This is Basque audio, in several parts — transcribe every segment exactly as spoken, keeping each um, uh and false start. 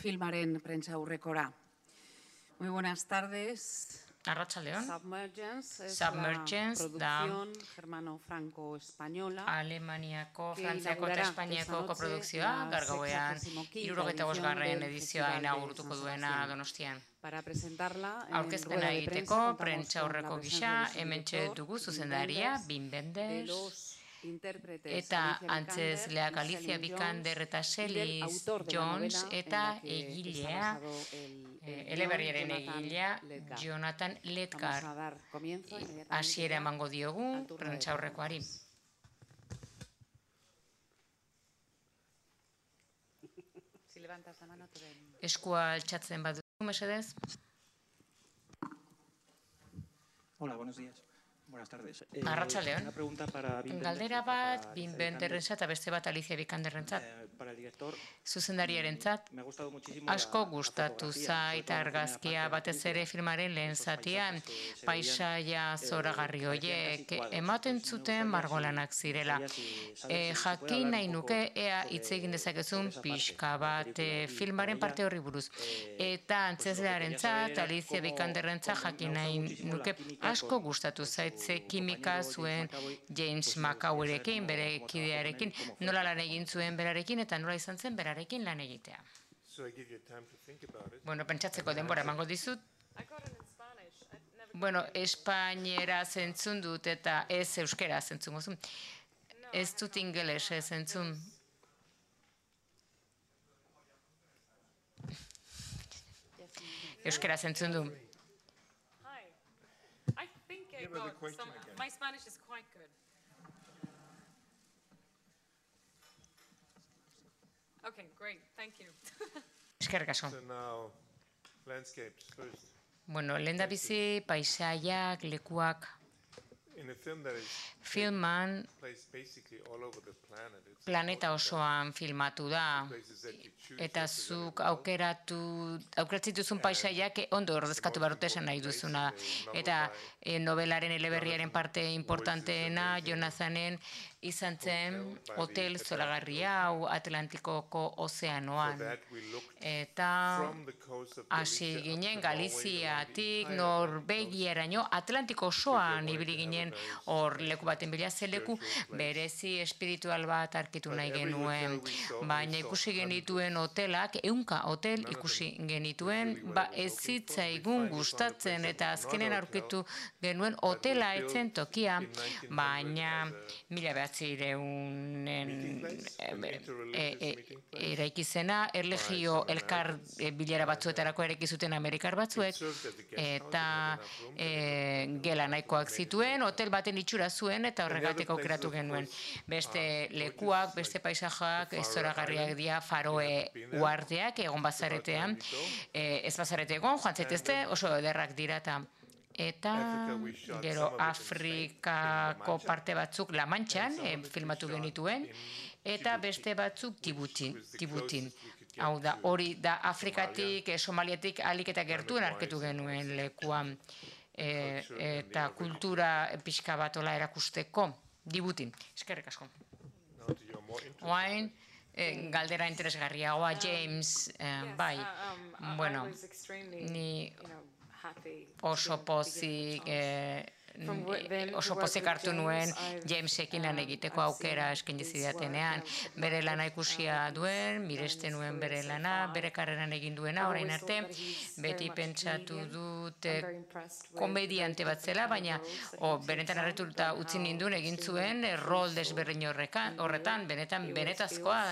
filmaren prentsaurrekora. Muy buenas tardes. Arratsaldeon. Submergence es Submergence la producción germano-franco-española Alemaniako, Frantziako eta Espainiako koprodukzioa, gaur gauean hirurogeita bosgarren edizioa inauguratuko duena Donostian. Aurkezpena egiteko prentsaurreko gisa hementxe dugu zuzendaria Wim Wenders eta antzezleak Alicia Vikander eta Celis Jones eta egilea, eleberriaren egilea Jonathan Ledgar. Hasiera emango diogu prentsaurrekoari. Eskua altxatzen badugu, mesedez? Hola, buenos días. Buenas tardes. Arratsaldeon. Una pregunta para Wim Wenders. Galdera bat Wim Wendersrentzat eta beste bat Alicia Vikanderrentzat. Para el director. Zuzendariarentzat asko gustatu zait argazkia, batez ere filmaren lehen zatian, paisaia zoragarri horiek ematen zuten margolanak zirela. Jakin nahi nuke ea hitz egin dezakezun pixka bat filmaren parte horri buruz. Eta antzezlearentzat, Alicia Vikanderrentzat jakin nahi nuke asko gustatu zait ze kimika zuen James McAvoyrekin, bere kidearekin, nola lan egin zuen berarekin eta nola izan zen berarekin lan egitea. Bueno, pentsatzeko denbora emango dizut. Bueno, espainera zentzun dut eta ez euskera zentzun gozun. Ez dut ingeles zentzun. Euskera zentzun du. Give her the question again. My Spanish is quite good. Okay, great. Thank you. Eskerrik asko. So now, landscapes first. Bueno, lehendabizi paisaiak, lekuak. In a film that is filman placed basically all over the planet. It's planeta osoan filmatu da. Eta zuk aukeratu, aukeratzen duzun paisaiak ondo ordezkatu barute esan nahi duzuna. Eta e, novelaren eleberriaren parte importanteena Jonathanen izan zen hotel zoragarri hau Atlantikoko ozeanoan. Eta hasi ginen Galiziatik Norvegiaraino Atlantiko osoan ibili ginen hor leku baten bila ze leku berezi espiritual bat arkitu nahi genuen. Baina ikusi genituen hotelak, ehunka hotel ikusi genituen, ba ez zitzaigun gustatzen eta azkenen aurkitu genuen hotela etzen tokia, baina mila behatzirehunen eraikizena, erlegio elkar bilera batzuetarako eraikizuten Amerikar batzuek, eta gela nahikoak zituen, hotel baten itxura zuen eta horregatik aukeratu genuen. Beste lekuak, beste paisajak, ez zoragarriak dira Faroe uharteak, egon bazaretean, ez bazarete egon, joan zaitezte, oso ederrak dira eta eta gero Afrikako parte batzuk La Mantxan filmatu genituen, eta beste batzuk Tibutin. Hau da, hori da Afrikatik, Somaliatik alik eta gertuen arketu genuen lekuan. Eta kultura pixka bat ola erakusteko, Dibutin. Eskerrik asko. Oain, galdera interesgarriagoa, James, bai, bueno, ni oso pozik, oso pozik hartu nuen Jamesekin lan egiteko aukera eskaini zidatenean. Bere lana ikusia duen, miresten nuen bere lana, bere karreran egin duena, orain arte, beti pentsatu dut komediante bat zela, baina benetan harretuta utzi ninduen egin zuen rol desberdin horretan, benetan benetazkoa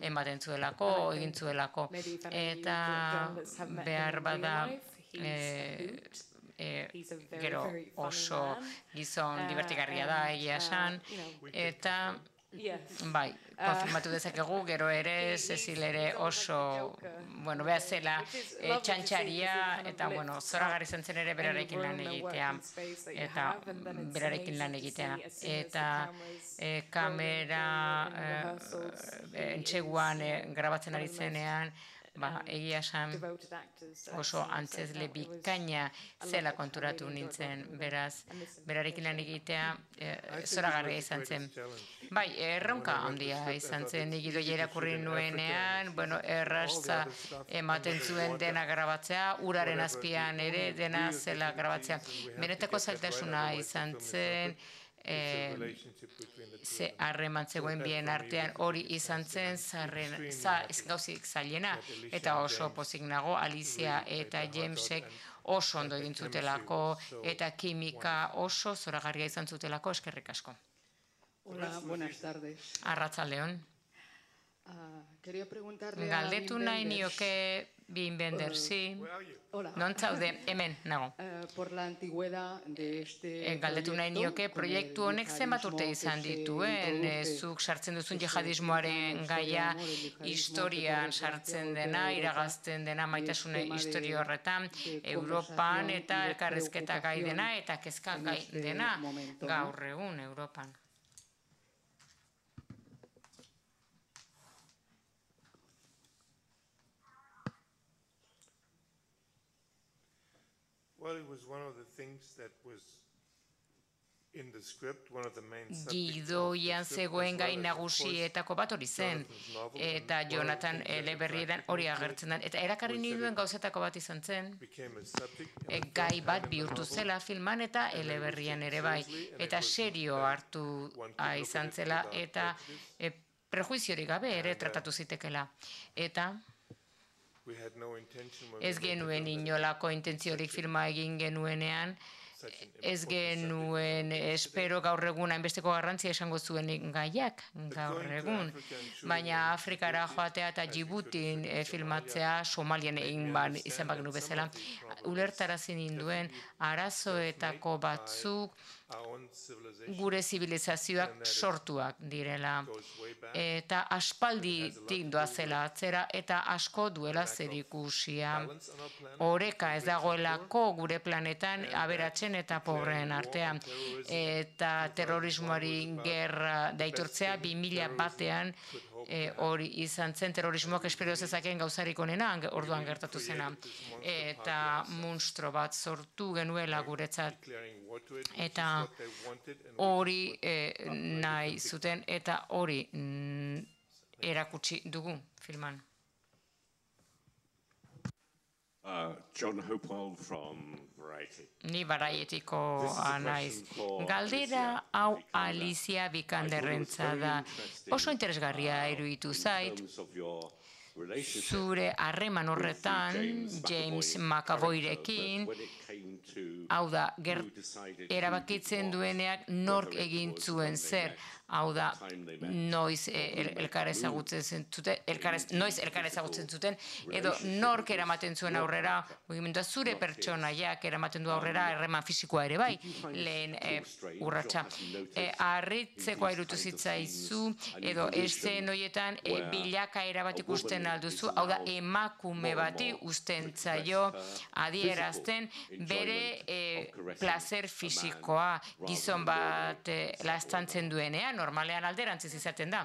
ematen zuelako, egin zuelako. Eta behar bada gero oso gizon divertigarria da egia esan, eta bai, konfirmatu dezakegu, gero ere Cecil ere oso, bueno, beha zela txantxaria, eta bueno, zoragarri zen zen ere berarekin lan egitea, eta berarekin lan egitea, eta kamera entseguan grabatzen ari zenean, ba, egia esan devoted actors. uh, oso so- so antzezle that it was bikaina a zela lot. I konturatu really enjoyed nintzen, working with beraz, them and listening. berarekin lan egitea eh, I think it zoragarria was the izan zen. greatest challenge. Bai, When erronka I read the handia script, I izan thought zen, it's nik idoia easy to shoot irakurri in Africa and nuenean, it's bueno, easy to shoot all the erraza other stuff ematen under the zuen water, dena grabatzea, uraren whatever. azpian The ere only dena real zela grabatzea. difficulty is, and we have to Benetako get that right, zaitasuna otherwise the izan film is not zen, good. It's the eh, relationship between the two ze of them. harreman So zegoen that bien for me artean was the hori biggest izan task, zen and I'm zarren, extremely za, happy ez gauzik zailena, that Alicia eta and oso James pozik nago Alicia really played eta their hearts out Jamesek and oso ondo that the egin chemistry zutelako was so eta kimika oso zoragarria izan zutelako, eskerrik asko. Hola, buenas tardes. Arratsaldeon. Ah, quería preguntarle a Galdetu Wim nahi Wenders, nioke Wim Wendersi. Where are you? hola, Non zaude, hemen, nago. eh, por la antigüedad de este Eh, Galdetu nahi proyecto, nioke con proiektu el honek zenbat urte yihadismo izan que se dituen, eh, introduce, zuk sartzen duzun que se jihadismoaren utiliza en la gaia historia, ¿no? del yihadismo que historian por sartzen desgracia dena, golpea Europa, iragazten dena y es maitasune tema de- historio horretan, de Europan conversación eta y de elkarrezketa gai preocupación dena eta kezka en gai este dena momento, ¿no? gaur egun Europan. Well, it was one of the things that was in the script, one of the main subjects of the Gidoian script, zegoen as gai well as, of course, nagusietako bat hori zen, Jonathan's novel, eta and one of the Jonathan things that Eleberrietan attracted hori me to it agertzen da. Eta erakarri was that ninduen it gauzetako bat izan zen, became a subject in e, the gai film bat and in the bihurtu novel, zela filman eta and that it was Eleberrian taken ere bai, seriously, and eta it was serio that hartu one could look ah, at izan it zela, without eta prejudice. e, prejuiziorik gabe ere And, uh, tratatu zitekela. Eta We had no intention when ez we made the genuen film that inolako intentziorik filma egin genuenean, such an ez important genuen subject espero gaur egun hainbesteko garrantzia esango zuen gaiak gaur going to egun. Africa and shooting Baina in Afrikara Djibouti, joatea eta as you could Djibutin fit eh, in filmatzea Somalian made egin me ban understand izan bagenu that some bezala, of these problems ulertarazi ninduen definitely arazoetako self-made by batzuk our own civilization gure zibilizazioak and that it sortuak direla. goes way back. Eta aspalditik doazela atzera eta asko duela lack of zerikusia. balance on our planet, Oreka ez which is dagoelako gure planetan And aberatsen eta declaring pobreen war on artean. terrorism Eta in terrorismoari two thousand one was gerra about the daitortzea best thing bi mila terrorism batean could hope eh, to have. hori izan zen terrorismoak espero zezakeen gauzarik onena ange- orduan gertatu zena. created this monster Eta party ourselves. munstro bat sortu genuela guretzat. Declaring war to it, which is Eta what they wanted and which hori is what eh, our nahi victim zuten eta hori mm, erakutsi dugu filman. Uh, John Hopewell from Variety. Ni baraietiko This is a naiz. question for Galdera Alicia hau Vikander. Alicia I thought it was Vikanderrentza very da. interesting, Oso interesgarria uh, iruditu in zait, terms of your relationship zure harreman horretan with James McAvoy McAvoyrekin, character, but when it came to hau da, ger who decided who erabakitzen did what, dueneak nork whether it egin was zuen when they zer, met, hau da, time they met, noiz eh, el, elkar ezagutzen zuten, elkar ez- noiz elkar ezagutzen zuten, edo nork eramaten zuen aurrera, mugimendua zure pertsonaiak eramaten du aurrera, erreman fisikoa ere bai, lehen eh, urratsa. Eh, Harritzekoa irutu zitzaizu, edo eszen horietan eh, bilakaera bat ikusten alduzu, hau da, emakume bati usten zaio adierazten bere eh, placer fisikoa gizon bat eh, laztantzen duenean, normalean alderantziz izaten da.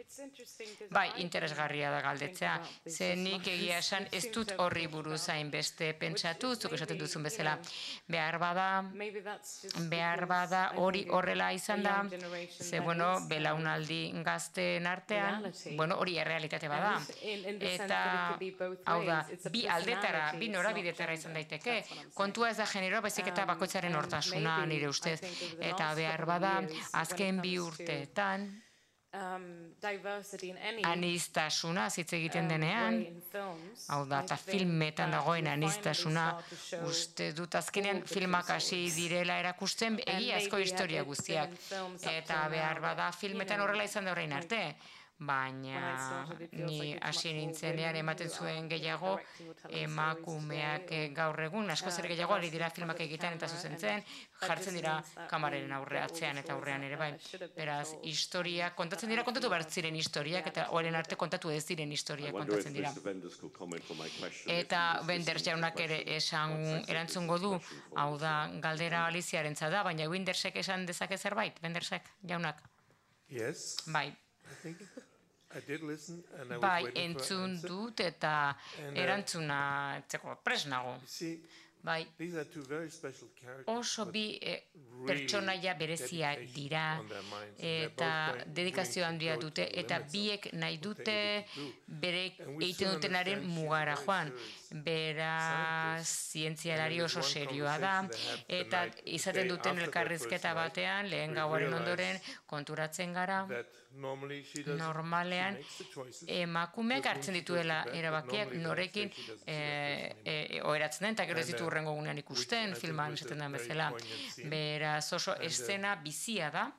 It's interesting 'cause Bai, I interesgarria da galdetzea, think about this ze as nik much egia as esan it ez seems dut to have horri thought buruz about, hainbeste pentsatu, which zuk esaten maybe, duzun you bezala. know, Behar bada, maybe that's just behar because bada I hori think horrela the izan da, young generation ze that bueno, is, um, belaunaldi gazteen artean, reality. bueno, hori errealitate bada. And in- in the sense Eta, that it could be both hau da, ways. It's a bi aldetara, personality, bi it's norabidetara not izan gender. daiteke. That's what I'm saying. Kontua ez da generoa, baizik eta Um, bakoitzaren and hortasuna maybe, nire I ustez. think over the Eta last behar couple of bada, years, when it azken bi comes to, urteetan, um, diversity in any anistasuna hitz egiten um, denean, way in films, hau da, I eta think filmetan that dagoen we finally anistasuna, start to show uste dut azkenean all the filmak two hasi sides. direla erakusten And egiazko maybe historia it's been guztiak. in films up Eta till behar now bada that, filmetan you know, horrela izan da orain like, arte. Baina when I started, it feels ni like it's hasi much more nintzenean women ematen who zuen are, you know, gehiago directing or telling emakumeak stories today, eh, gaur egun asko zer uh, gehiago ari diversity dira in front filmak of the egiten eta camera, zuzentzen, and that jartzen just dira means that kamararen we aurre get all the atzean eta stories aurrean out ere there bai. that should have been Beraz, told. historia kontatzen But dira, I kontatu feel behar that ziren historiak eta reality horren is arte kontatu ez diren I historiak wonder if kontatzen dira. Mister Vendors could comment on my question. if Eta he was Wenders listening to the jaunak ere question. esan Perhaps I said erantzungo this is du, a question for hau Mister da, Vendors. galdera Aliziarentza da, baina Wendersek esan dezake zerbait, Wendersek jaunak. Yes, Bai, I think I did listen and I was Bai, waiting for an entzun answer. dut eta And, uh, erantzuna etzeko presnago. You see, Bai, these are two very special characters. oso with bi eh, really pertsonaia bereziak dedication dira on their minds, and they're eta both going- dedikazio willing to handia go to dute the eta limits of biek nahi what they're dute able to do. bere And we egiten soon dutenaren understand she's a mugara very joan. serious Bera scientist. zientzialari And oso there's one serioa da conversation they had the eta night- the izaten day duten after that elkarrizketa first night, batean lehen we gauaren realized ondoren konturatzen gara that normally she doesn't- normalean she makes the choices emakumeak with whom hartzen she dituela goes to bed, but erabakiak normally the norekin next day she doesn't see that eh, person anymore. eh, oheratzen den, eta gero ez And, ditu uh, hurrengo gunean ikusten, which I think filman was a esaten den very bezala. poignant scene. Beraz oso And, uh, eszena bizia da,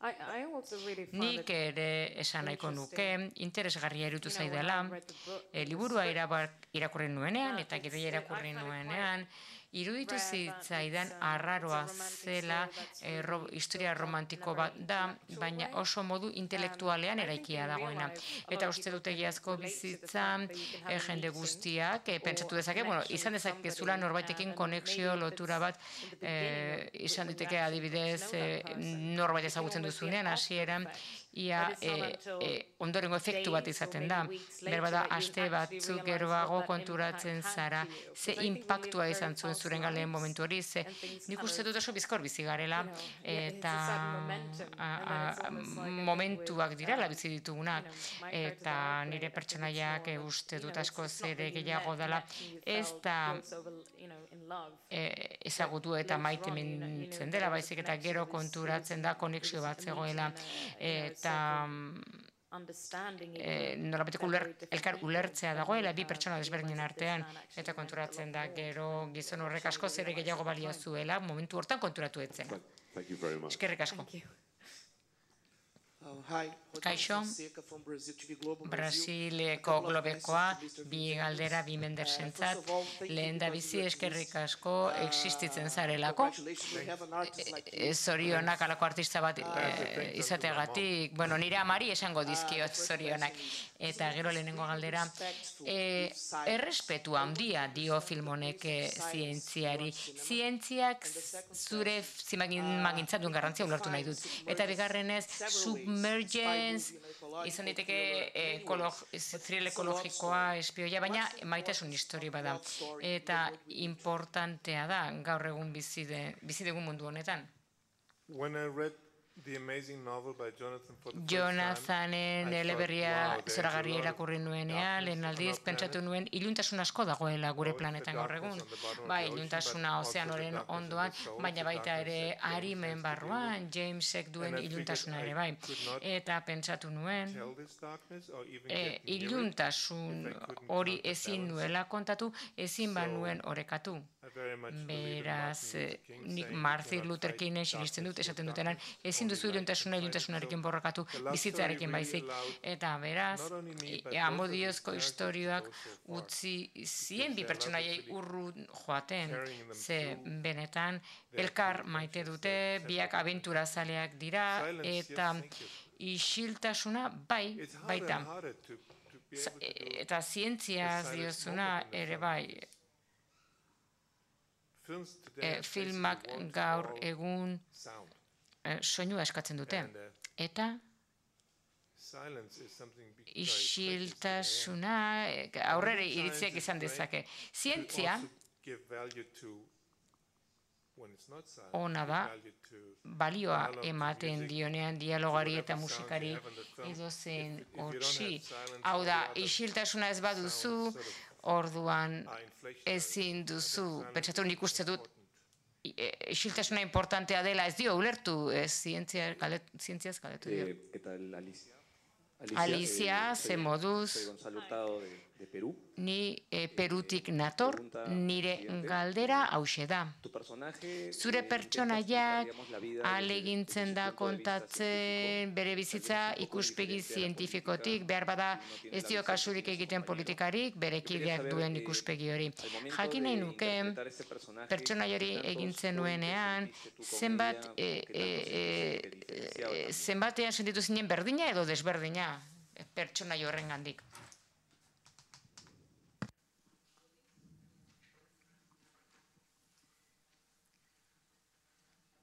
I, I also really found nik it ere esan nahiko nuke, interesgarria irutu You know, when zaidala, I read the book, e, the liburua script, irabar- irakurri nuenean, uh, eta it's- gero I irakurri find it quite nuenean, iruditu rare that zitzaidan it's, um, arraroa it's a romantic zela story that's eh, ro- really historia built up in a romantiko very bat da, intellectual baina way. oso modu intelektualean Um, I think eraikia in real dagoena. life, a lot Eta of uste people dute can egiazko relate to the bizitzan, fact that you can have eh, a jende meeting guztiak eh, pentsatu or a dezake, bueno, connection izan with dezakezula somebody, norbaitekin and konexio, maybe if lotura it's bat, in the eh, beginning of- izan when you diteke actually adibidez get to know eh, that person, norbait you can ezagutzen almost get duzunean, after hasieran, effects. ia But it's not eh, until eh, ondorengo efektu bat days or izaten maybe da. weeks later Berbada, that you aste actually batzuk realize geroago what that konturatzen impact had zara, to you. ze Because I think we live impactua very izan zuen fast zuren galen lives, momentu hori, ze and things nik kind uste of, dut oso bizkor bizi garela, you know, yeah, it's eta a sudden momentum, a- and then it's a- almost like I think momentuak with, direla um, bizi ditugunak, you know, my characters eta that I play, nire I think it's pertsonaiak more eh, of, uste you dut know, asko it's- it's not zere really gehiago met- dela, met and you ez fell da close over, you know, in love. eh, ezagutu eta later maite on, you know- you know mintzen that dela, there was a baizik eta connection, gero it was- it was- konturatzen da it konexio was a bat meet zegoela, and a, you know, eta sort of mm, understanding eh, even nolabaiteko that uler, very different elkar people, ulertzea then dagoela you, bi uh, pertsona desberdinen realize that this artean, man actually eta meant a konturatzen lot da more gero than gizon you horrek probably asko zere realized gehiago at the balia time. zuela, momentu hortan konturatu etzena. Thank thank you very much. Eskerrik asko. Thank you. Uh, hi, Kaixo, Rodrigo Fonseca from Brazil T V Global Brazil. Brasileko A couple of globekoa, questions to Mister bi Vimendes. galdera, bi Uh, mendersentzat, first of all, thank you lehen da because bizi you eskerrik exist. asko Uh, existitzen zarelako. Congratulations, we have an artist like you. E, zorionak alako artista bat e, izateagatik, bueno, nire amari esango dizkiot zorionak. Eta gero lehenengo galdera, e, errespetu handia dio film honek e, zientziari. Zientziak zure zimagintzat duen garrantzia ulertu nahi dut. Eta bigarrenez, submergence, izan diteke ekolog, thrill ekologikoa, espioia, baina maitasun histori bada. Eta importantea da gaur egun bizi de, bizi dugun mundu honetan. When I read the amazing novel by Jonathan for the first Jonathanen time, I eleberria thought, wow, there's a zoragarri lot of irakurri nuenean, lehen darkness aldiz on our pentsatu planet. nuen iluntasun asko dagoela gure Oh, the planetan gaur darkness egun. on the bottom of Bai, the ocean, iluntasuna but also the ozeanoren darkness in ondoan, the soul, baina the baita ere darkness that James arimen has to deal barruan, with. Jamesek duen And I figured iluntasuna I ere bai. could not Eta pentsatu nuen, Tell this darkness or even e, get near it iluntasun if I couldn't hori ezin counterbalance. nuela kontatu, ezin So, banuen orekatu. I very much believe in Beraz, Martin eh, Luther King nik saying, "You Martin cannot Luther fight Kingen sinisten dut, darkness esaten with dutenan, darkness, ezin only duzu light iluntasuna can fight it." iluntasunarekin So, borrokatu, the love bizitzarekin story baizik. really allowed Eta beraz, not only me, but e, both of amodiozko these historioak characters to go so far. utzi zien bi their love is pertsonaiei really urrun joaten, carrying them ze through benetan their elkar two maite adventures, dute, their biak separate abenturazaleak dira, Silence, yes, eta thank you. isiltasuna bai, It's harder baita. and harder to, to be Za- able to do Eta zientziaz the silence diozuna moment in the ere film. bai, films today e, are filmak basically want gaur all egun sound. e, soinua eskatzen dute. And, uh, Eta silence is something be- very precious to the end. isiltasuna e, aurrera iritziak izan dezake. To Zientzia also give value to when it's not silent, ona give da, value to balioa dialogue, to ematen music, dionean dialogari whatever eta sounds you musikari have in the film. edo zen If- if you don't otsi. have silence, Hau all da, the other isiltasuna ez baduzu, sounds sort of orduan are inflationary. ezin duzu, Silence pentsatu is nik uste dut, important. i- e, isiltasuna importantea dela ez dio ulertu, ez zientzia, galet, zientziaz galetu dio. Eh, ¿Qué tal, Alicia? Alicia, eh, ze soy- moduz? Soy Gonzalo Hurtado de, de Perú. Ni e, Perutik nator, Pregunta, nire presidente. galdera hause da. Tu personaje, Zure eh, intenta pertsonaiak explicar, digamos, la vida ahalegintzen desde- da desde su punto de vista kontatzen científico, bere tal bizitza vez un poco ikuspegi diferente a la zientifikotik, política, behar bada si no tiene ez la dio visión kasurik de sus egiten compañeros. politikarik, bere Yo quería kideak saber, duen eh, ikuspegi hori. al momento Jakin nahi de nuke, interpretar ese personaje, pertsonai hori ¿qué tantos egintzen puentes nuenean, sentiste tú con zenbat, ella? e, ¿Qué tanto e, sentiste que te diferenciaba e, también? zenbatean sentitu zinen berdina edo desberdina pertsonai horren gandik.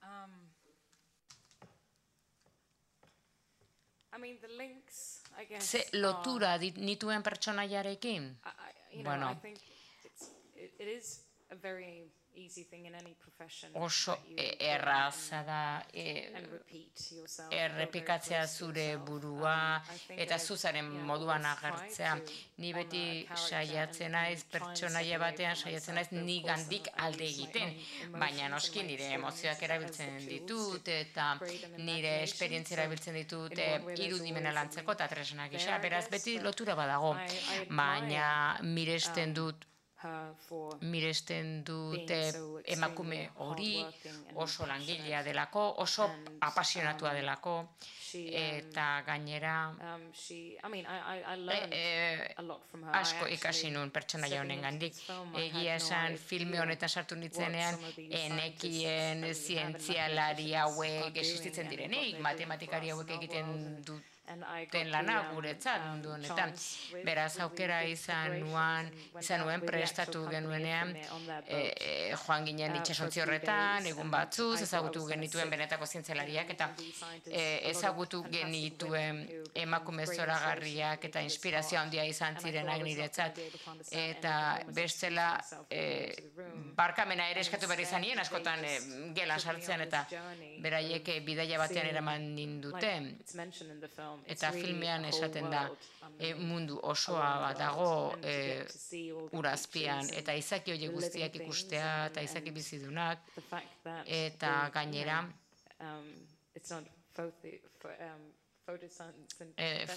Um, I mean, the links, I guess, Ze are, lotura dit- nituen pertsonaiarekin? I, I- you know, Bueno. I think it's, it, it is a very easy thing in any profession. Oso that you e- go erraza da e, and repeat yourself, go very errepikatzea close to zure yourself. burua Um, I think eta I've, zuzaren you know, moduan always tried agertzea. to Ni honor beti a character saiatzen and- naiz and try and pertsonaia separate batean from saiatzen myself, naiz but of ni course, gandik I alde use my egiten, own baina emotions noski and my nire emozioak experiences erabiltzen as the ditut tools eta to create an nire imagination. esperientzia So, erabiltzen ditut in one way there's irudimena always a lantzeko eta link tresna there, gisa, I beraz guess, beti but lotura badago, I- I admire, baina miresten um, dut her for miresten dute being so emakume extremely hori hardworking and oso langilea passionate. delako, oso And, apasionatua um, delako, she, um, eta gainera Um, she, I mean, I, I, I e, learned e, a lot from her. I asko ikasi actually, nuen pertsonaia stepping honen into gandik. this film, I had Egia no esan filme idea honetan sartu what nitzenean, some of these enekien scientists that we have in zientzialari mathematicians hauek are doing existitzen and direnik, what they're doing matematikari for us hauek in our egiten world and- dut and I got den the, lana um, guretzat um, mundu honetan. chance with- Beraz, with the aukera big izan preparations nuan, and went izan out nuen with the actual prestatu company genuenean, from there on that e, boat. e, joan ginen uh, itxasontzi for a few horretan, days, egun and batzuz, I thought I ezagutu was gonna genituen sit, benetako zientzialariak, eta these scientists, e, a lot of ezagutu fantastic genituen women who become emakume great zoragarriak inspiration eta for this inspirazio art. handia izan And I thought I zirenak was not niretzat, gonna be able to understand eta anything, almost bestela excuse myself e, going into the room. barkamena ere And eskatu behar izan instead, nien, askotan they e, just gelan took me on sartzean, this eta journey beraiek of e, bidaia batean seeing, eraman nindute, like it's mentioned in the film, it's eta really filmean a whole esaten da, world, um, e, mundu a osoa whole bat world, dago and to e, get to see all the urazpian, creatures eta and izaki horiek the guztiak living ikustea, things eta and- izaki and bizidunak, the fact that eta the, you gainera, know, um, it's not photo, pho- um, photosynthetic, e, um,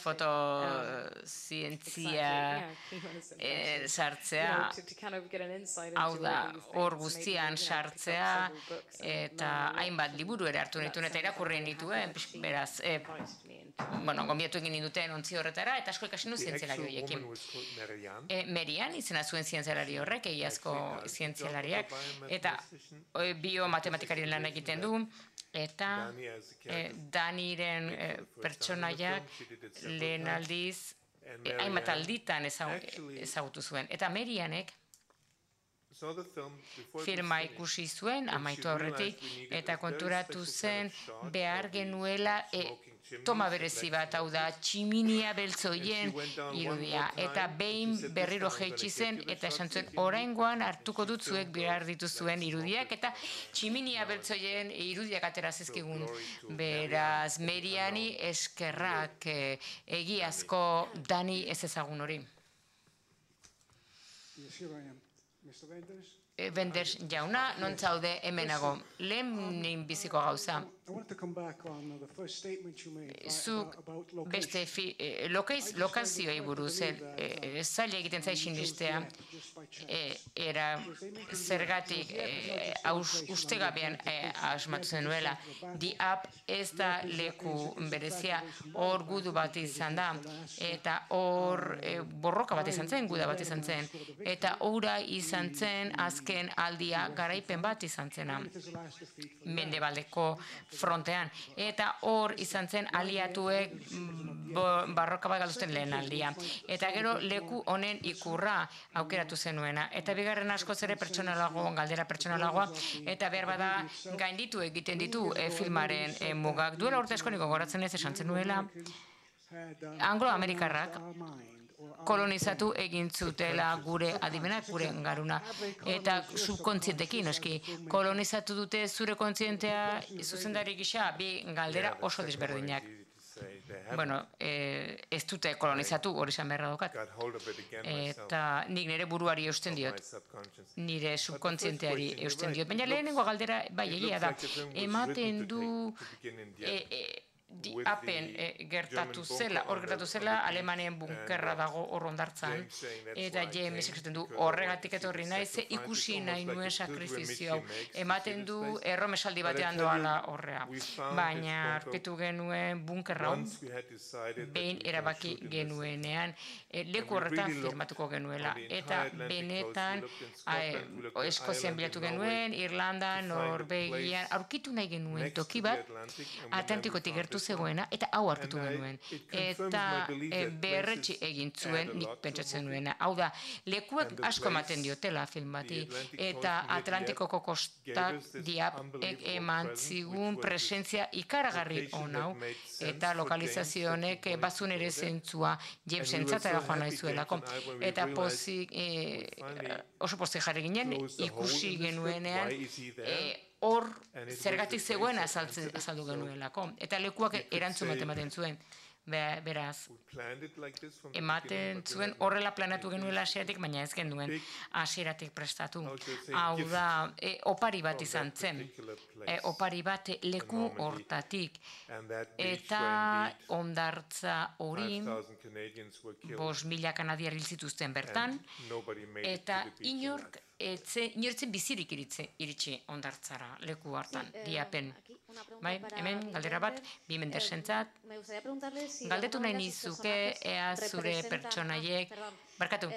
fotozientzia exactly, yeah, chemosynthesis. e, You know, sartzea, to, to kind of get an insight hau into da, all these hor things, guztian maybe, you know, pick up sartzea, several books and eta learn a lot hainbat from- liburu ere hartu from nituen, that eta sense, irakurri and I nituen, had pix- she beraz, e, invited me into bueno, gonbiatu egin ninduten ontzi horretara, eta asko ikasi nu The zientzialari actual horiekin. woman was called Marianne. E, Merian izena zuen zientzialari horrek, egiazko Actually, does the zientzialariak, job of a eta biomathematician. e, biomatematikarien lan egiten du, eta Dani as a e, character. Daniren played e, for the first time in the pertsonaiak film. She did it several lehen times. aldiz And e, hainbat Marianne alditan ezagu- actually ezagutu zuen. Eta Merianek saw the film before it was filma finished. ikusi zuen, And amaitu she aurretik, realized we needed eta a very konturatu special zen kind of shot behar of the genuela e, smoking chimneys, toma the berezi black bat, hau da, smoke. tximinia beltzoien And she went down one irudia. more time, Eta and behin she said, berriro "This time I'm jaitsi gonna zen, get you the eta esan shots zuen, that you need." oraingoan hartuko And she dut zuek filmed behar those dituzuen black irudiak, smoke eta and tximinia flowers. beltzoien irudiak atera zizkigun. glory to Beraz, Marianne, Meriani unknown. eskerrak eh, egiazko Dani ez ezagun hori. Yes, here I am. Mister Wenders, E, Benders jauna, non zaude hemenago. Lehen biziko gauza. I wanted to come back on uh, the first statement you made uh, Zuk about, about beste location. fi, e, lokaiz, lokazioei buruz, e, e, zaila egiten zaixin listea, Just by chance. e, era zergatik e, aus, ustegabean e, asmatu zenuela. Di app ez da leku berezia, hor gudu bat izan da, eta hor e, borroka bat izan zen, guda bat izan zen, eta hura izan zen azken aldia garaipen bat izan zena. It is the last defeat for Mendebaldeko frontean. Eta hor izan zen aliatuek mm, bo- barroka bat galuzten lehen aldia. Eta gero leku honen ikurra aukeratu zenuena. Eta bigarren askoz ere pertsonalago, galdera pertsonalagoa, eta behar bada gainditu egiten ditu e, filmaren e, mugak. Duela urte asko niko goratzen ez esan zenuela, had, um, anglo-amerikarrak our mind or our kolonizatu egin zutela gure adimenak, gure garuna. Eta subkontzientekin, eski, kolonizatu dute zure kontzientea zuzendari gisa, bi galdera Yeah, oso the second one is desberdinak. easy to say. They haven't Bueno, eh, ez dute kolonizatu, hori izan beharra daukat. got hold of it again myself, Eta nik nire buruari eusten of diot, my subconscious. nire subkontzienteari question, eusten you're diot. right, Baina it lehenengo looks- galdera, bai, It egia looks da, like the film was ematen written to du take- to begin in e, Vienna. e, di With apen the e, gertatu German zela, bunker hor on gertatu the- zela, on the Alemanen beach, bunkerra and, dago hor ondartzan, James saying that's eta why I James came, esaten du, because I horregatik wanted to etorri see naiz, the sacrifice. ikusi It's nahi almost nuen like a pilgrimage sakrifizio hau. you make to Ematen see du this place. erromesaldi But I batean tell doala you, horrea. we found Baina this bunker arpitu genuen bunkerra hau, Once we had decided that behin we were gonna erabaki shoot in this genuenean, e, leku we horretan really looked filmatuko genuela. on the entire Eta Atlantic benetan, coast, we looked in ae, Scotland, we looked in Eskozian Ireland, bilatu in genuen, Norway, Irlanda, to find a Norvegian, place aurkitu nahi genuen next to toki the bat, Atlantic, and we- then we Atlantikotik found gertu this zegoena, eta hau hartutu genuen. Eta berretxi egin zuen nik pentsatzen nuena. Hau da, lekuek asko ematen diotela film bati, eta Atlantikoko kostak diap eman zigun presentzia ikaragarri honau, eta lokalizazio honek bazun ere zentzua Jamesen zatara joan nahi zuelako. Eta pozik, oso pozik jarri ginen, ikusi genuenean, hor zergatik zegoen azaldu genuelako. Eta lekuak erantzun bat ematen zuen. Beraz, ematen zuen horrela planatu genuela hasieratik, baina ez genuen hasieratik prestatu. Hau da, opari bat izan zen, opari bat leku hortatik, eta hondartza hori bost mila kanadiar hil zituzten bertan, eta inork inortzen bizirik iritsi hondartzara leku hartan, diapen. Bai, hemen galdera bat, bi mendersentzat, galdetu nahi nizuke ea zure pertsonaiek, barkatu,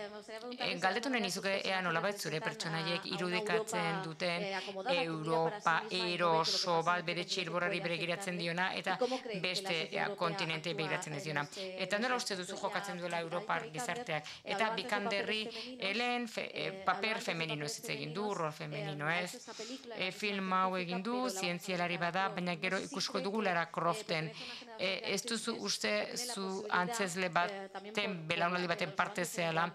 galdetu nahi nizuke ea nolabait zure pertsonaiek irudikatzen duten Europa eroso bat bere txilborari begiratzen diona eta beste kontinente begiratzen ez diona. Eta nola uste duzu jokatzen duela Europar gizarteak? Eta bikanderri helen paper femenino ez egin du, rol femenino ez, film hau egin du, zientzialari bada, baina gero ikusko dugu Lara Croften. Ez duzu uste zu antzezle baten, belaunaldi baten parte zehala,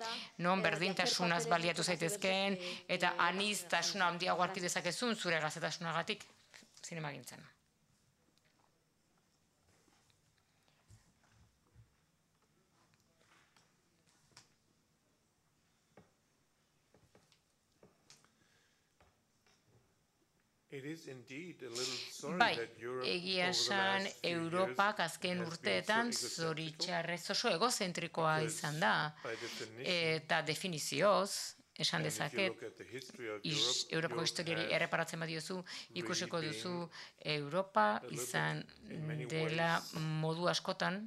non berdintasunaz baliatu zaitezkeen, eta aniztasuna handiago harki dezakezun zure gazetasunagatik zinemagintzen. Bai, egia esan Europak azken urteetan zoritxarrez oso egozentrikoa izan da, eta definizioz, esan dezaket, Europako historiari erreparatzen badiozu, ikusiko duzu Europa izan dela modu askotan,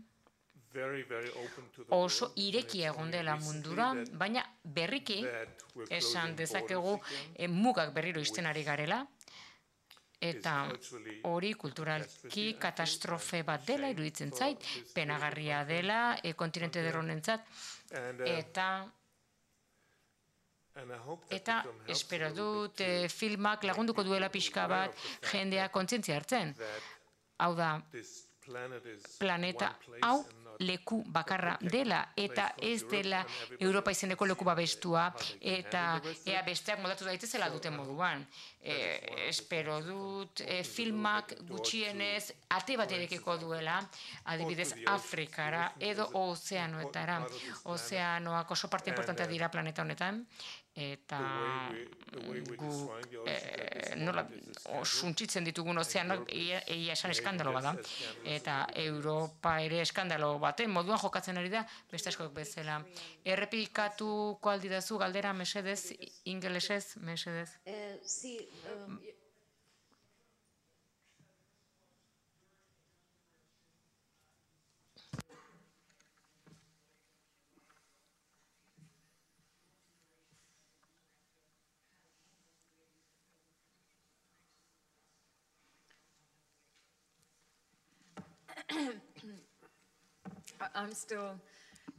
oso irekia egon dela mundura, baina berriki esan dezakegu mugak berriro izten ari garela, eta hori kulturalki katastrofe bat dela iruditzen zait, penagarria dela kontinente derronentzat, eta eta espero dut filmak lagunduko duela pixka bat jendea kontzientzia hartzen. Hau da, planeta hau leku bakarra dela, eta ez dela Europa izeneko leku babestua, eta ea besteak moldatu daitezela duten moduan. Espero dut filmak gutxienez ate bat erekiko duela, adibidez Afrikara edo ozeanoetara. Ozeanoak oso parte importantea dira planeta honetan, eta guk nola suntsitzen ditugun ozeanoak egia esan eskandalo bada, eta Europa ere eskandalo baten moduan jokatzen ari da, beste askok bezala. Errepikatuko aldi dazu galdera mesedez, ingelesez mesedez. Sí. I'm still,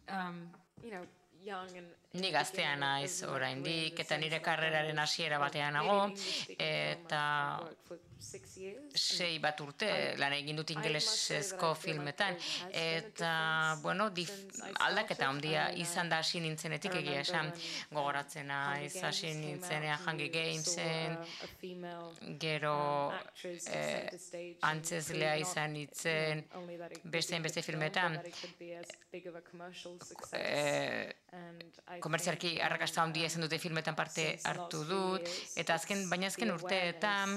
um, you know, young and Ni gaztea naiz oraindik, eta nire karreraren hasiera batean nago, eta sei bat urte lan egin dut ingelesezko filmetan, eta, bueno, aldaketa handia izan da hasi nintzenetik egia esan, gogoratzen naiz hasi nintzenean Hunger Gamesen, gero antzezlea izan nintzen bestein beste filmetan, komertzialki arrakasta handia izan dute filmetan parte hartu dut, eta azken, baina azken urteetan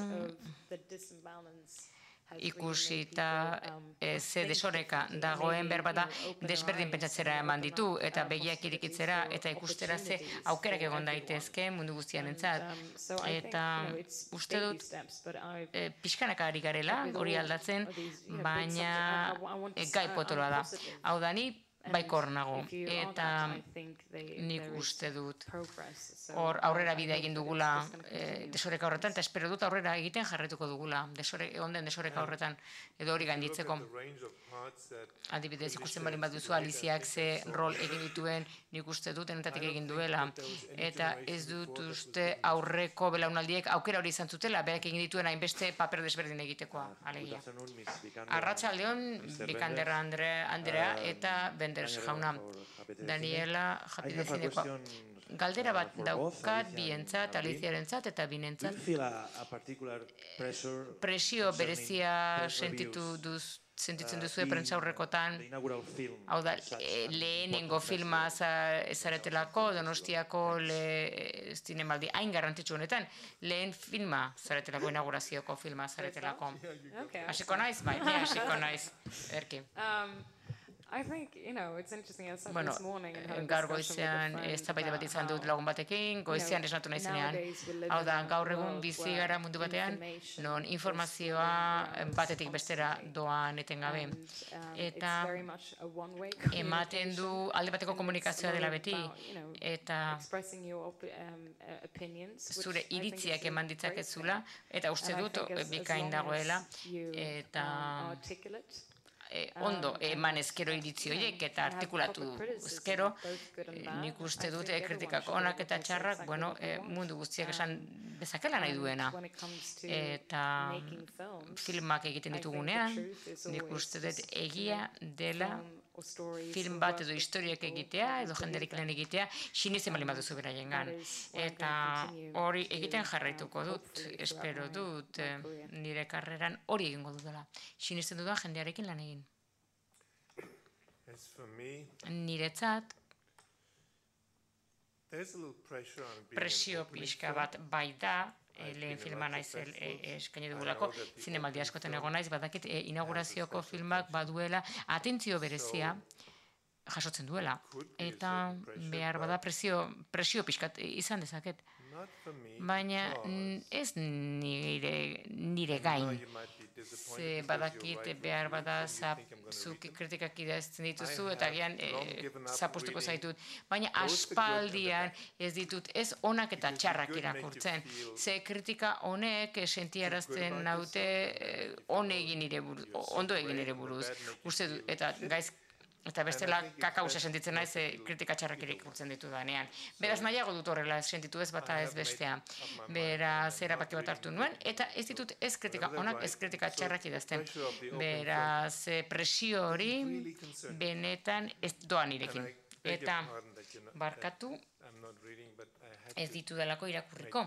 ikusita ze desoreka dagoen berbada desberdin pentsatzera eman ditu, eta begiak irikitzera, eta ikustera ze aukerak egon daitezke mundu guztian entzat. Eta uste dut pixkanaka ari garela hori aldatzen, baina gai potoloa da. Hau da, ni baikor nago, eta nik uste dut hor aurrera bidea egin dugula desoreka horretan, eta espero dut aurrera egiten jarretuko dugula, onden desoreka horretan, edo hori gainditzeko. Adibidez, ikusten balin baduzu Aliziak ze rol egin dituen, nik uste dut enetatik egin duela, eta ez dut uste aurreko belaunaldiek aukera hori izan zutela, berak egin dituen hainbeste paper desberdin egitekoa, alegia. Arratsaldeon, Bikanderra Andrea eta Benders jauna. Daniela Japinezinekoa. Galdera bat daukat bientzat, Aliziarentzat eta binentzat. Presio berezia sentitu duz sentitzen duzue prentsaurrekotan, hau da, lehenengo filma zaretelako, Donostiako zinemaldi, hain garrantzitsu honetan, lehen filma zaretelako, inaugurazioko filma zaretelako. Hasiko naiz, bai, ne hasiko naiz, erki. I think, you know, it's interesting. I said Bueno, this morning and had a gaur discussion goizean with ez friends tabaida bat about izan dut how, lagun batekin, goizean esnatu nahi zenean. Hau da, gaur egun bizi gara mundu batean, non informazioa batetik bestera doan etengabe. Eta ematen du alde bateko komunikazioa dela beti, eta zure iritziak eman ditzakezula, eta uste dut bikain dagoela, eta ondo eman ezkero iritzi horiek eta artikulatu ezkero, nik uste dute kritikak onak eta txarrak, bueno, mundu guztiak esan bezakela nahi duena. Eta filmak egiten ditugunean, nik uste dut egia dela film bat edo historiak egitea, edo jenderik lan egitea, sinitzen bali baduzu beraiengan. Eta hori egiten jarraituko dut, espero dut, nire karreran hori egingo dudala. Sinitzen dudan jendearekin lan egin. Niretzat, presio pixka bat bai da, lehen filma naiz eskaini dugulako, zinemaldi askoten egon naiz, badakit inaugurazioko filmak baduela atentzio berezia jasotzen duela. Eta behar bada presio pixkat izan dezaket. Baina ez nire gain. Ze badakit behar bada zuk kritikak idazten dituzu eta gian zapustuko zaitut. Baina aspaldian ez ditut ez onak eta txarrak irakurtzen. Ze kritika honek sentiarazten naute ondo egin nire buruz. Uste dut, eta gaiz Eta bestela kakausa sentitzen naiz kritika txarrak irakurtzen ditu danean. Beraz nahiago dut horrela sentitu ez bata ez bestea. Beraz erabaki bat hartu nuen, eta ez ditut ez kritika onak, ez kritika txarrak idazten. Beraz presio hori benetan ez doan irekin. Eta barkatu ez ditu delako irakurriko.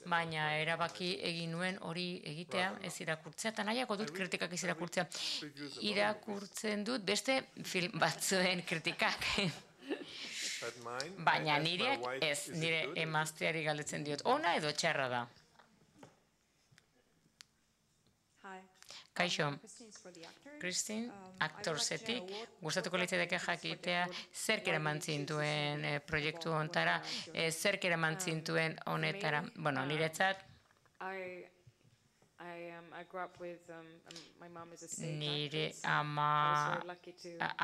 Baina erabaki egin nuen hori egitea, ez irakurtzea, eta nahiago dut kritikak ez irakurtzea. Irakurtzen dut beste film batzuen kritikak. Baina nireak ez, nire emazteari galdetzen diot. Ona edo txarra da? Kaixo, Christine, aktorzetik, gustatuko litzateke jakitea zerk eraman zintuen proiektu honetara, zerk eraman zintuen honetara. Bueno, niretzat, nire ama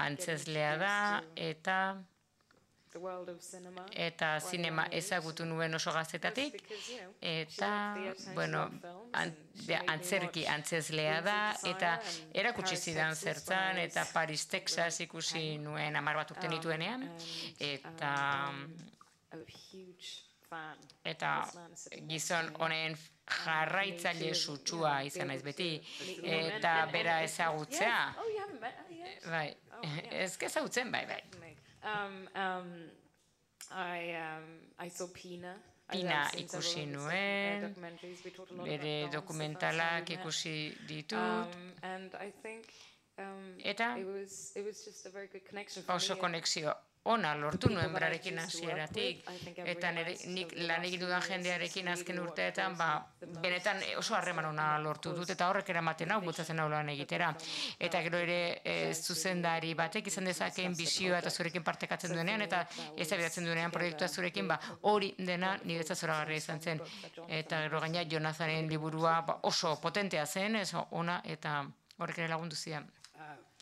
antzeslea da, eta eta zinema ezagutu nuen oso gaztetatik, eta, bueno, antzerki antzezlea da, eta erakutsi zidan zertzan, eta Paris, Texas ikusi nuen hamar bat urte nituenean, eta eta gizon honen jarraitzaile sutsua izan naiz beti, eta bera ezagutzea, bai, ez ezagutzen, bai, bai. Um, um, I, um, I saw Pina. Pina ikusi nuen, bere dokumentalak ikusi ditut, eta oso konexio ona lortu nuen berarekin hasieratik, eta nik lan egin dudan jendearekin azken urteetan, benetan oso harreman ona lortu dut, eta horrek eramaten hau, bultzatzen hau lan egitera. Eta gero ere zuzendari batek izan dezakeen bizioa eta zurekin partekatzen duenean, eta ezabidatzen duenean proiektua zurekin, hori dena niretzat zoragarria izan zen. Eta gero gaina Jonathanen liburua oso potentea zen, ona, eta horrek ere lagundu zidan.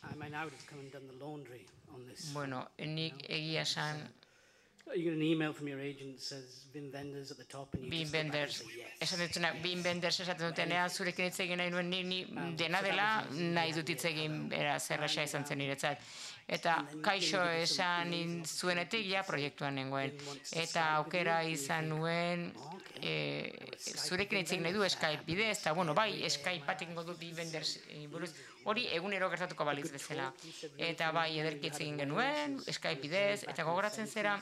I mean, I would have come and done the laundry on this. Bueno, nik egia esan, You get an email from your agent that says Wim Wenders at the top and you Wim just go back and Wenders, say yes. esan dutuna, Wim Wenders esaten dutenean, zurekin hitz egin nahi nuen, ni, ni dena dela, nahi dut hitz egin, beraz, erraxa izan zen niretzat. Eta kaixo esan zuenetik ja proiektuan nengoen. Eta aukera izan nuen, e, zurekin hitz egin nahi du Skype bidez, eta bueno, bai, Skype bat egingo du Wim Wenders buruz, hori egunero gertatuko balitz bezala. Eta bai, ederki hitz egin genuen, Skype bidez, eta gogoratzen zera,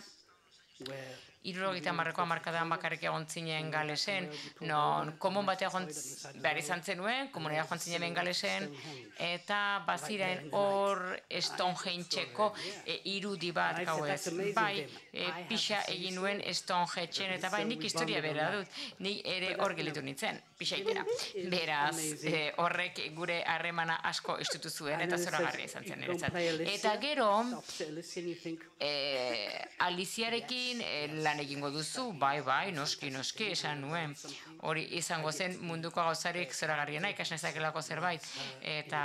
hirurogeita hamarreko hamarkadan bakarrik egon zinen Galesen, non komun batea egon behar izan zenuen, komunera joan zinen Galesen, eta baziren hor Stonehenge-eko irudi bat gauez. Bai, pixa egin nuen Stonehenge-en, eta bai, nik historia bera dut, nik ere hor gelitu nintzen, pixa ikera. Beraz, horrek gure harremana asko estutu zuen, eta zoragarria izan zen niretzat. Eta gero, Aliziarekin lan egingo duzu, bai, bai, noski, noski, esan nuen. Hori izango zen munduko gauzarik zoragarriena, ikasnezakelako zerbait. Eta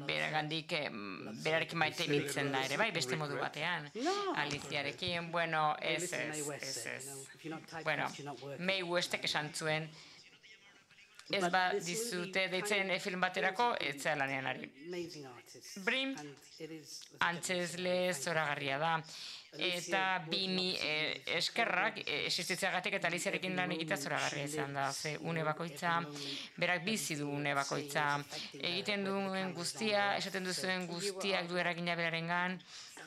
beragandik, berarekin maite ibiltzen da ere, bai, beste modu batean. Aliziarekin, bueno, ez, ez, ez, ez. Bueno, Mae Westek esan zuen, ez ba dizute deitzen film baterako, ez zela lanean ari. Brim, antzesle zoragarria da. Eta bimi eskerrak existitzeagatik eta Aliziarekin lan egitea zoragarria izan da. Ze une bakoitza, berak bizi du une bakoitza. Egiten duen guztia, esaten duzuen guztiak du eragina berarengan.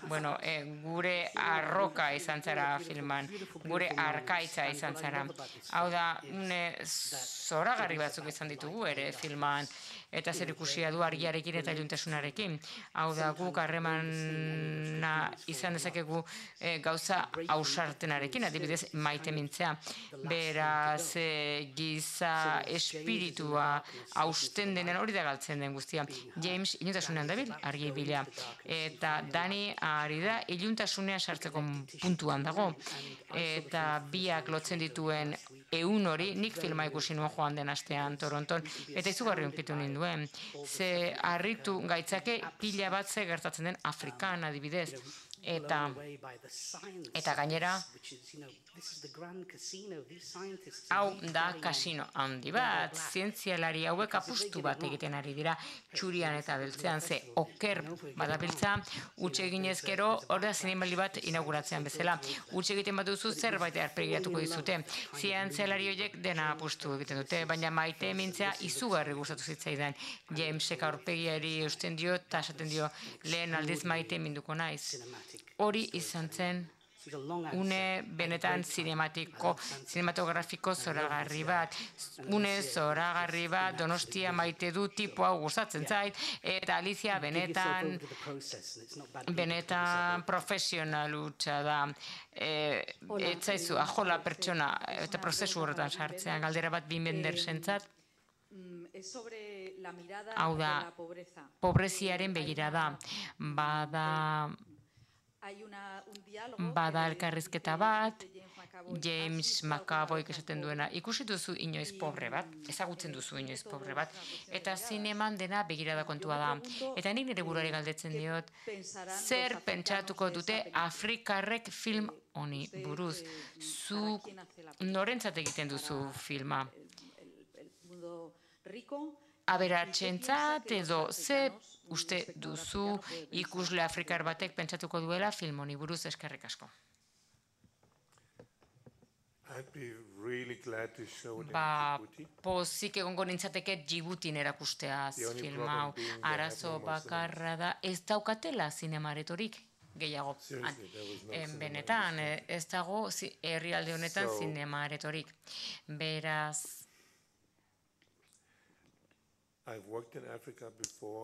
Bueno, e, gure arroka izan zara filman, gure arkaitza izan zara. Hau da, une zoragarri batzuk izan ditugu ere filman, eta zer ikusia du argiarekin eta iluntasunarekin. Hau da, guk harremana izan dezakegu e, gauza ausartenarekin, adibidez maite mintzea. Beraz, e, giza espiritua hausten denen hori da galtzen den guztia. James iluntasunean dabil, argi bila. Eta Dani ari da, iluntasunean sartzeko puntuan dago. Eta biak lotzen dituen ehun hori, nik filma ikusi nuen joan den astean Toronton, eta izugarri unkitu ninduen. Ze harritu gaitzake pila bat ze gertatzen den Afrikan adibidez. Eta, eta gainera, hau da kasino handi bat, zientzialari hauek apustu bat egiten ari dira txurian eta beltzean, ze oker badabiltza, utxe eginez gero, hori da zinemali bat inauguratzean bezala. Utxe egiten bat duzu zerbait arpegiratuko dizute. Zientzialari horiek dena apustu egiten dute, baina maite mintzea izugarri gustatu zitzaidan. Jamesek aurpegiari eusten dio, eta esaten dio, lehen aldiz maite minduko naiz. Hori izan zen une benetan zinematiko, zinematografiko zoragarri bat. Une zoragarri bat, Donostia maite du tipo hau gustatzen zait, eta Alizia benetan, benetan profesionalutza da. Ez zaizu, ajola pertsona, eta prozesu horretan sartzean, galdera bat Wim Wendersentzat. Hau da, pobreziaren begirada, bada... Bada elkarrizketa bat, James McAvoyk esaten duena, ikusi duzu inoiz pobre bat, ezagutzen duzu inoiz pobre bat, eta zineman dena begirada kontua da. Eta nik nire buruari galdetzen diot, zer pentsatuko dute Afrikarrek film honi buruz, zu norentzat egiten duzu filma? Aberatsentzat edo ze uste duzu ikusle afrikar batek pentsatuko duela film honi buruz? Eskerrik asko. Ba, pozik egongo nintzateke Djiboutin erakusteaz film hau. Arazo bakarra da, ez daukatela zinemaretorik gehiago. Benetan, ez dago herrialde honetan zinemaretorik. Beraz...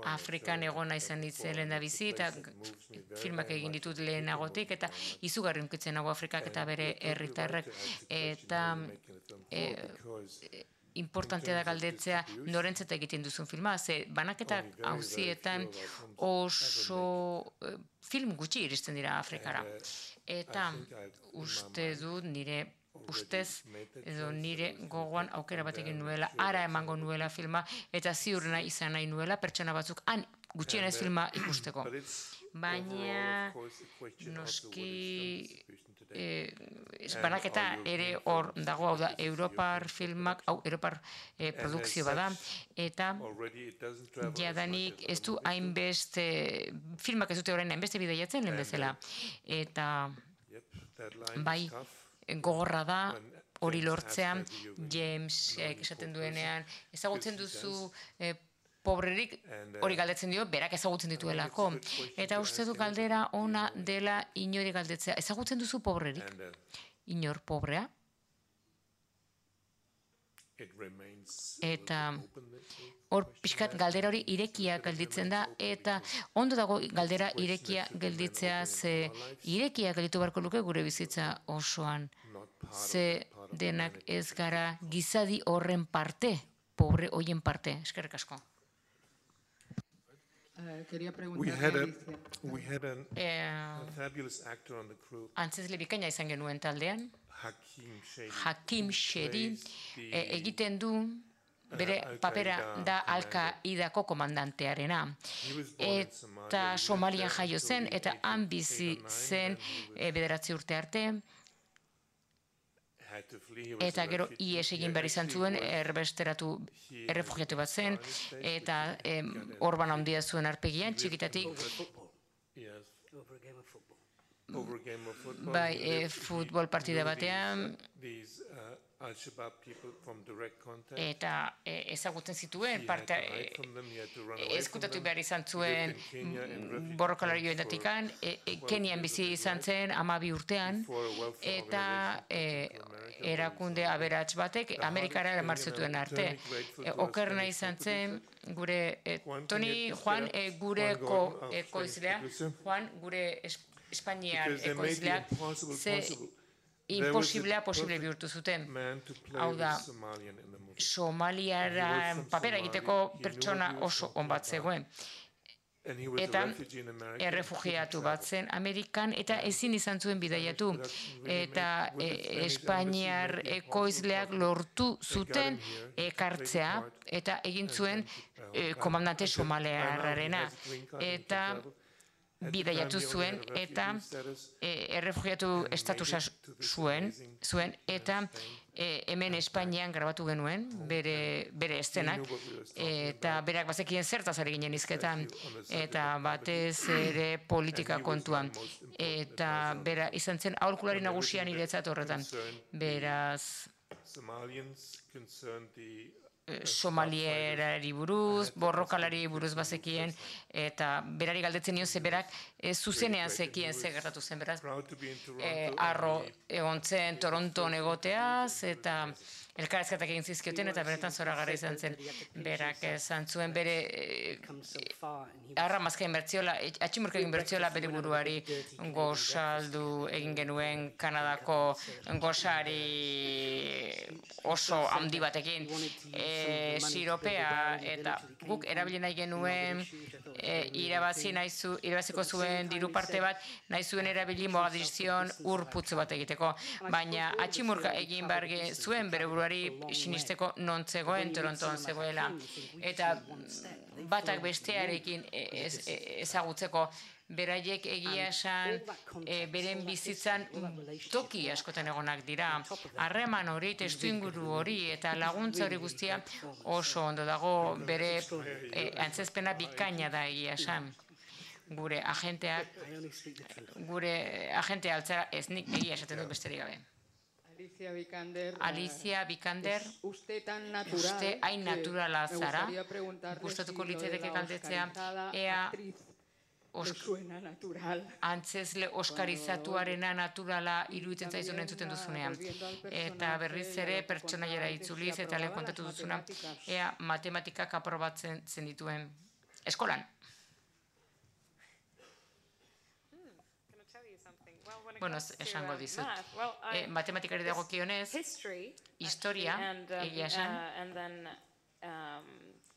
Afrikan egon naizen ditzen lehen da bizi, eta filmak egin ditut lehenagotik, eta izugarri unkitzen nago Afrikak eta bere herritarrek, eta importantea da galdetzea norentzat egiten duzun filma, ze banaketak hauzietan oso film gutxi iristen dira Afrikara. Eta uste dut nire ustez, edo nire gogoan aukera batekin nuela, ara emango nuela filma, eta ziurrena izan nahi nuela, pertsona batzuk han gutxienez filma ikusteko. Baina, noski, banaketa ere hor dago, hau da, Europar filmak, hau, Europar produkzio bada, eta jadanik ez du hainbeste, filmak ez dute horrein hainbeste bidaiatzen lehen bezala. Eta, bai, gogorra da, hori lortzea, James esaten duenean, ezagutzen duzu pobrerik, hori galdetzen dio, berak ezagutzen dituelako. Eta uste du galdera ona dela inori galdetzea. Ezagutzen duzu pobrerik? Inor pobrea? Eta hor pixkat galdera hori irekia gelditzen da, eta ondo dago galdera irekia gelditzea, ze irekia gelditu beharko luke gure bizitza osoan. Ze denak ez gara gizadi horren parte, pobre hoien parte. Eskerrik asko. Uh, quería We had preguntarle a, we had an, a fabulous actor on the crew, Antzezle bikaina izan genuen taldean, Hakim Shady. Hakim Shady, egiten du, bere papera da Al-Qaidako komandantearena. Eta Somalian jaio zen, eta han bizi zen bederatzi urte arte, eta gero ies egin behar izan zuen, erbesteratu, errefugiatu bat zen, eta orban handia zuen arpegian, txikitatik, bai, futbol partida batean, eta ezagutzen zituen, parte eskutatu behar izan zuen borrokalarioetatik, Kenian bizi izan zen hamabi urtean, eta erakunde aberats batek Amerikara eramar zituen arte. Okerna izan zen gure Toni Juan gure ekoizlea, Juan gure Espainiar ekoizleak, ze imposiblea posible bihurtu zuten. Hau da, Somaliara papera egiteko pertsona oso on bat zegoen. Eta errefugiatu bat zen Amerikan, eta ezin izan zuen bidaiatu. Eta Espainiar ekoizleak lortu zuten ekartzea, eta egin zuen komandante somaliarrarena. Eta bidaiatu zuen, eta errefugiatu estatusa zuen, zuen, eta hemen Espainian grabatu genuen, bere eszenak, eta berak bazekien zertaz ari ginen izketan, eta batez ere politika kontuan, eta bera izan zen aholkulari nagusian niretzat horretan, beraz somalierari buruz, borrokalari buruz bazekien, eta berari galdetzen nion ze berak zuzenean zekien ze gertatu zen, beraz, arro egon zen Toronton egoteaz, eta elkarrezketak egin zizkioten, eta beretan zora gara izan zen, berak esan zuen bere arramazka inbertziola, atximurka egin bertziola bere buruari gozaldu egin genuen Kanadako gozari oso handi batekin, siropea, eta guk erabili nahi genuen irabazi irabaziko zuen diru parte bat, nahi zuen erabili mogadizion urputzu bat egiteko, baina atximurka egin barge zuen bere buruari sinisteko non zegoen, Torontoan zegoela, eta batak bestearekin ezagutzeko, beraiek egia esan beren bizitzan toki askotan egonak dira. Harreman hori, testuinguru hori eta laguntza hori guztia oso ondo dago, bere antzezpena bikaina da egia esan. Gure agenteak, gure agentea altzara ez nik egia esaten dut besterik gabe. Alicia Vikander, Alicia Vikander, usted tan natural, uste hain naturala zara, me gustaría preguntarle gustatuko si lo de litzateke la galdetzea, oscarizada ea actriz le suena natural. antzezle oskarizatuarena naturala iruditzen zaizun entzuten duzunean. Eta berriz ere pertsonaiera itzuliz eta lehen kontatu duzuna, ea matematikak aprobatzen zen dituen eskolan. Bueno, esango dizut. Matematikari dagokionez, historia, egia esan,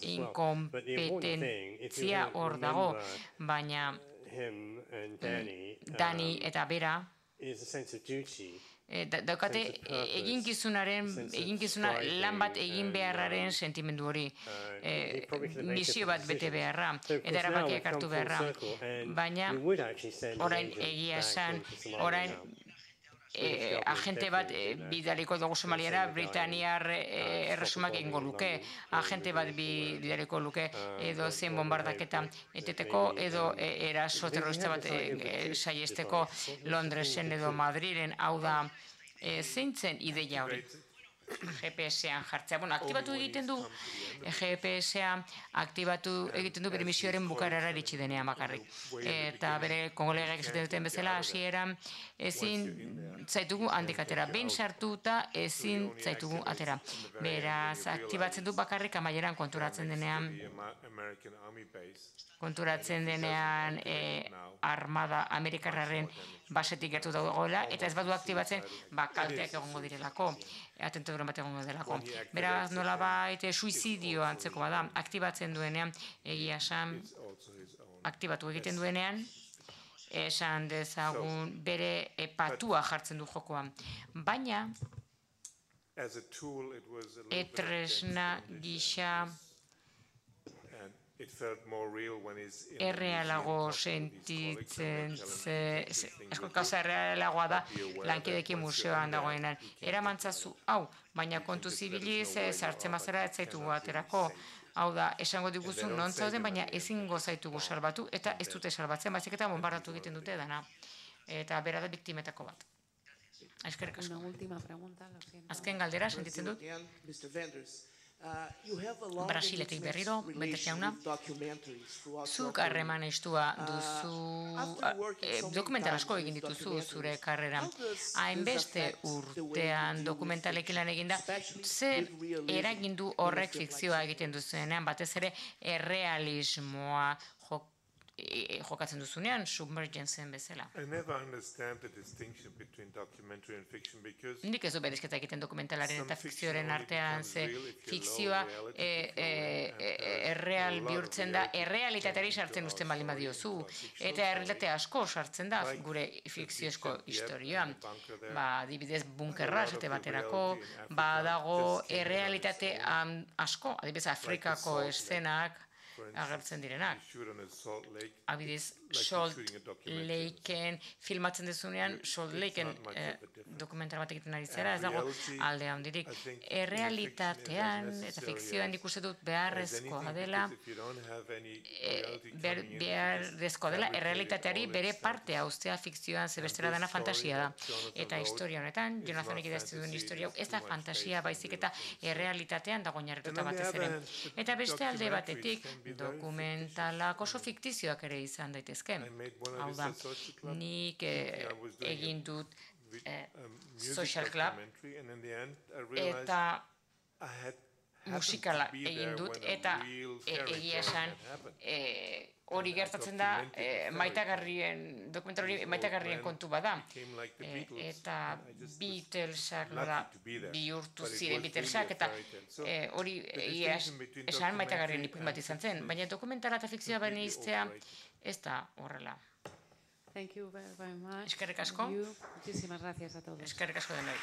inkompetentzia hor dago, baina him and Danny Dani eta bera, is a sense of duty. daukate eginkizunaren, eginkizuna lan bat egin beharraren sentimendu hori, misio bat bete beharra, eta erabakiak hartu beharra. Baina, orain egia esan, orain agente bat bidaliko dugu Somaliara, Britaniar erresumak egingo luke, agente bat bidaliko luke, edo zein bombardaketa eteteko, edo eraso terrorista bat saiesteko Londresen edo Madrilen, hau da, zeintzen ideia hori. G P S-ean jartzea. Bueno, aktibatu egiten du, G P S-a aktibatu egiten du bere misioaren bukarara iritsi denean bakarrik. Eta bere kongolegak esaten duten bezala, hasieran ezin zaitugu handik atera. Behin sartuta ezin zaitugu atera. Beraz, aktibatzen du bakarrik amaieran konturatzen denean konturatzen denean armada amerikarraren basetik gertu dagoela, eta ez badu aktibatzen, ba, kalteak egongo direlako, atentaduren bat egongo delako. Beraz, nolabait suizidio antzeko bada, aktibatzen duenean, egia esan, aktibatu egiten duenean, esan dezagun bere patua jartzen du jokoan. Baina, etresna gisa errealago sentitzen, esko kauza errealagoa da lankidekin museoan dagoenan. Eramantzazu, hau, baina kontu zibiliz sartzen mazera ez zaitugu aterako. Hau da, esango diguzu non zauden, baina ezingo zaitugu salbatu, eta ez dute salbatzen, baizik eta bombardatu egiten dute dana. Eta bera da biktimetako bat. Eskerrik asko. Azken galdera, sentitzen dut. Brasiletik berriro, Bender jauna, zuk harreman estua duzu, dokumental asko egin dituzu zure karreran. Hainbeste urtean dokumentalekin lan eginda, ze eragindu horrek fikzioa egiten duzuenean, batez ere errealismoa jokatzen duzunean, submergentzen bezala. Nik ez du berizketa egiten dokumentalaren eta fikzioaren artean, ze fikzioa erreal bihurtzen da, errealitateari sartzen usten baldin badiozu, eta errealitate asko sartzen da gure fikziozko historioan. Ba, adibidez, bunkerra, esate baterako, badago errealitate asko, adibidez, Afrikako eszenak, agertzen direnak. Abidez, Salt Lakeen filmatzen dezunean, Salt Lakeen dokumental bat egiten ari zera, ez dago alde handirik. Errealitatean eta fikzioan ikuste dut beharrezkoa dela, beharrezkoa dela, errealitateari bere partea uztea fikzioan zebestera dena fantasia da. Eta historia honetan, Jonathanek idazte duen historia ez da fantasia baizik eta errealitatean dago oinarrituta batez ere. Eta beste alde batetik, dokumentalak oso fiktizioak ere izan daitezke. Hau da, nik egin dut Social Club eta musikala egin dut, eta egia esan hori gertatzen da maitagarrien, dokumental hori maitagarrien kontu bada. Eta Beatlesak bihurtu ziren Beatlesak, eta hori esan maitagarrien ipuin bat izan zen, baina dokumentala eta fikzioa baina iztea ez da horrela. Eskerrik asko. Eskerrik asko denoi.